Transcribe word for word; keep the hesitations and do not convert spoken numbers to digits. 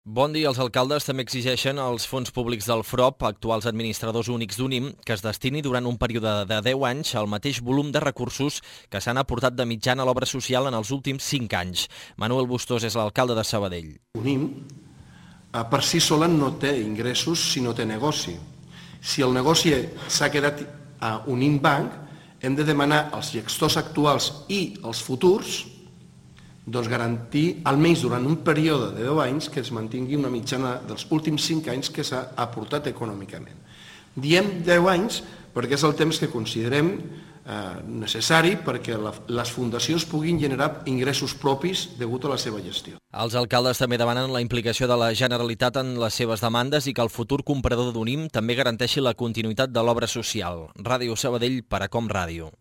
Bon dia. Els alcaldes també exigeixen als fons públics del F R O P, actuals administradors únics d'Unim, que es destini durant un període de deu anys el mateix volum de recursos que s'han aportat de mitjana a l'obra social en els últims cinc anys. Manuel Bustós és l'alcalde de Sabadell. Unim per si sola no té ingressos si no té negoci. Si el negoci s'ha quedat a Unim Banc, hem de demanar als gestors actuals i als futurs doncs garantir, almenys durant un període de deu anys, que es mantingui una mitjana dels últims cinc anys que s'ha aportat econòmicament. Diem deu anys perquè és el temps que considerem eh, necessari perquè la, les fundacions puguin generar ingressos propis degut a la seva gestió. Els alcaldes també demanen la implicació de la Generalitat en les seves demandes i que el futur comprador d'Unim també garanteixi la continuïtat de l'obra social. Ràdio Sabadell, per a Com Ràdio.